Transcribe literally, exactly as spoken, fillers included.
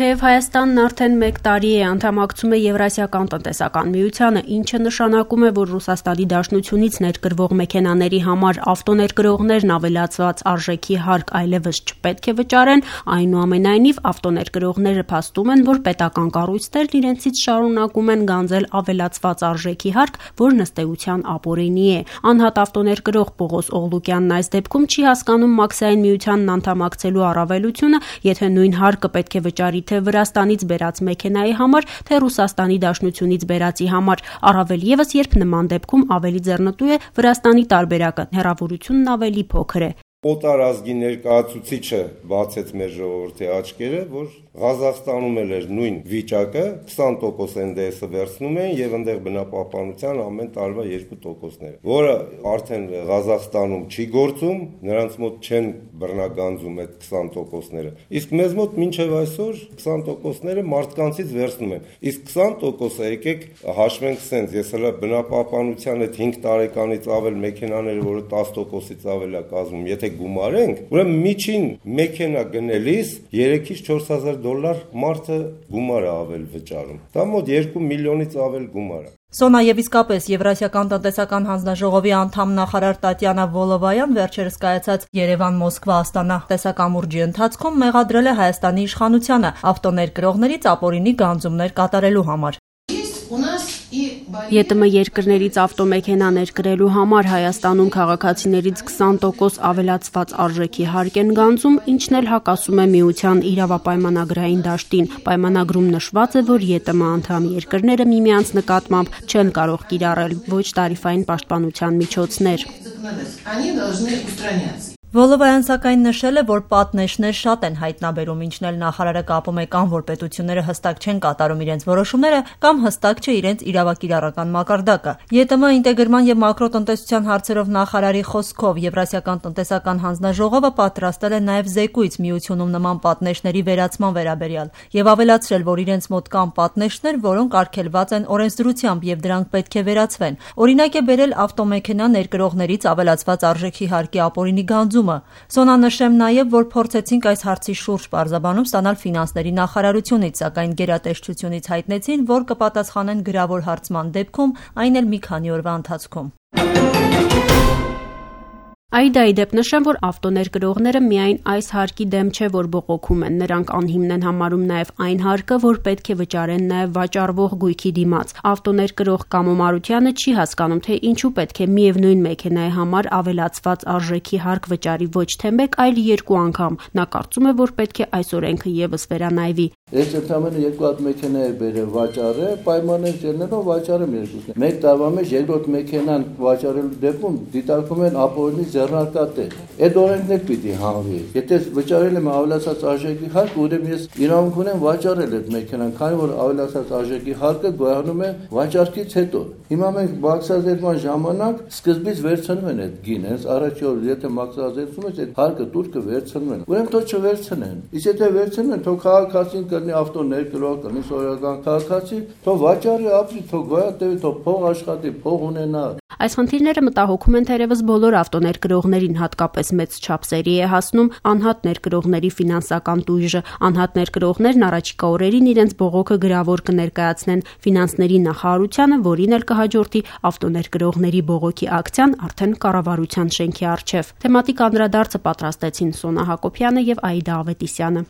Թեև Հայաստանն արդեն մեկ տարի է անդամակցում է Եվրասիական տնտեսական միությանը, ինչը նշանակում է, որ Ռուսաստանի Դաշնությունից ներկրվող մեքենաների համար ավտոներկրողներն ավելացված արժեքի հարկ այլևս չպետք է վճարեն, այնուամենայնիվ ավտոներկրողները փաստում են, որ պետական կառույցներն իրենցից շարունակում են գանձել ավելացված արժեքի հարկ, որն ըստ էության ապօրինի է։ Անհատ ավտոներկրող Պողոս Օղլուկյանն այս դեպքում չի հասկանում Մաքսային միությանն անդամակցելու առավելությունը, եթե նույն հարկը պետք է վճարի թե Վրաստանից բերած մեքենայի համար, թե Ռուսաստանի Դաշնությունից բերածի համար, առավել ևս երբ նման դեպքում ավելի ձեռնտու է Վրաստանի տարբերակը, հեռավորությունն ավելի փոքր է։ Օտար ազգի ներկայացուցիչը բացեց մեր ժողովրդի աչքերը, որ Ղազախստանում էլ էր նույն վիճակը, քսան տոկոս Էն Դե Էսը վերցնում են եւ այնտեղ բնապահպանության ամեն տարվա երկու տոկոսները, որը արդեն Ղազախստանում չի գործում, նրանց մոտ չեն բռնագանձում այդ քսան տոկոսները։ Իսկ մեզ մոտ մինչեւ այսօր քսան տոկոսները մարդկանցից վերցնում են։ Իսկ քսան տոկոսը եկեք հաշվենք սենց, ես հələ բնապահպանության այդ հինգ տարեկանից ավել մեքենաները, որը տասը տոկոսից ավել է կազմում, եթե գումարենք, ուրեմն միջին մեքենա գնելիս երեքից չորս հազար դոլար մարդը գումար է ավել վճարում։ Դա մոտ երկու միլիոնից ավել գումար է։ Սոնա եւ իսկապես Եվրասիական տնտեսական հանձնաժողովի անդամ նախարար Տատյանա Վոլովայան վերջերս կայացած Երևան-Մոսկվա-Աստանա տեսակամուրջի ընթացքում մեղադրել է Հայաստանի իշխանությանը ավտոներկրողներից ապօրինի գանձումներ կատարելու համար։ Ե Տ Մ երկրներից ավտոմեքենա ներկրելու համար Հայաստանում քաղաքացիներից քսան տոկոս ավելացված արժեքի հարկ են գանձում, ինչն էլ հակասում է միության իրավապայմանագրային դաշտին։ Պայմանագրում նշված է, որ Ե Տ Մ անդամ երկրները միմյանց նկատմամբ չեն կարող կիրառել ոչ տարիֆային պաշտպանության միջոցներ։ Վոլովայան սակայն նշել է, որ պատնեշներ շատ են հայտնաբերում, ինչն էլ նախարարը կապում է կամ որ պետությունները հստակ չեն կատարում իրենց որոշումները, կամ հստակ չէ իրենց իրավակիրառական մակարդակը։ Ե Տ Մ ինտեգրման եւ մակրոտնտեսության հարցերով նախարարի խոսքով Եվրասիական տնտեսական հանձնաժողովը պատրաստել է նաեւ զեկույց միությունում նման պատնեշների վերացման վերաբերյալ եւ ավելացրել, որ իրենց մոտ կան պատնեշներ, որոնք արգելված են օրենսդրությամբ եւ դրանք պետք է վերացվեն։ Օրինակ է բերել ավտոմեքենա ներկրողներից ավելացված արժեքի հարկի ապօրինի գանձում։ Սոնա նշեմ նաև, որ փորձեցինք այս հարցի շուրջ պարզաբանում ստանալ ֆինանսների նախարարությունից, սակայն գերատեսչությունից հայտնեցին, որ կպատասխանեն գրավոր հարցման դեպքում, այն էլ մի քանի օրվա ընթացքում։ Այդա ի դեպ նշեմ, որ ավտոներկրողները միայն այս հարկի դեմ չէ, որ բողոքում են, նրանք անհիմն են համարում նաև այն հարկը, որ պետք է վճարեն նաև վաճառվող գույքի դիմաց։ Ավտոներկրող Կամո Մարությանը չի հասկանում, թե ինչու պետք է միևնույն մեքենայի համար ավելացված արժեքի հարկ վճարի ոչ թե մեկ, այլ երկու անգամ։ Նա կարծում է, որ պետք է այս օրենքը ևս վերանայվի։ Ես ընդամենը երկու հատ մեքենա է բերել վաճառը, պայմաններ ճելնելով վաճառեմ երկուսն։ Մեկ տարվա մեջ երկրորդ մեքենան վաճառելու դեպքում դիտարկում են ապօրինի ձեռնարկատեր։ Այդ օրենքն էլ պիտի հանվի։ Եթե վճարել եմ ավելացած արժեքի հարկ, ուրեմն ես իրավունք ունեմ վաճառել այդ մեքենան, քանի որ ավելացած արժեքի հարկը գոյանում է վաճառքից հետո։ Հիմա մենք մաքսազերծման ժամանակ սկզբից վերցնում են այդ գինը, հենց առաջի օր եթե մաքսազերծում ես, այդ հարկը տուրքը վերցնում են։ Ուրեմն թող չվերցնեն։ Իսկ եթե վերցնում են, թող քաղաքացին կլինի ավտոներկրող, կլինի սովորական քաղաքացի, թող վաճառի ապրի, թող գոյատևի, թող փող աշխատի, փող ունենա։ Այս խնդիրները մտահոգում են թերևս բոլոր ավտոներկրողներին, հատկապես մեծ չափսերի է հասնում անհատ ներկրողների ֆինանսական տույժը։ Անհատ ներկրողներն առաջիկա օրերին իրենց բողոքը գրավոր կներկայացնեն ֆինանսների նախարարությանը, որին էլ կհաջորդի ավտոներկրողների բողոքի ակցիան արդեն կառավարության շենքի առջև։ Թեմատիկ անդրադարձը պատրաստեցին Սոնա Հակոբյանը եւ Աիդա Ավետիսյանը։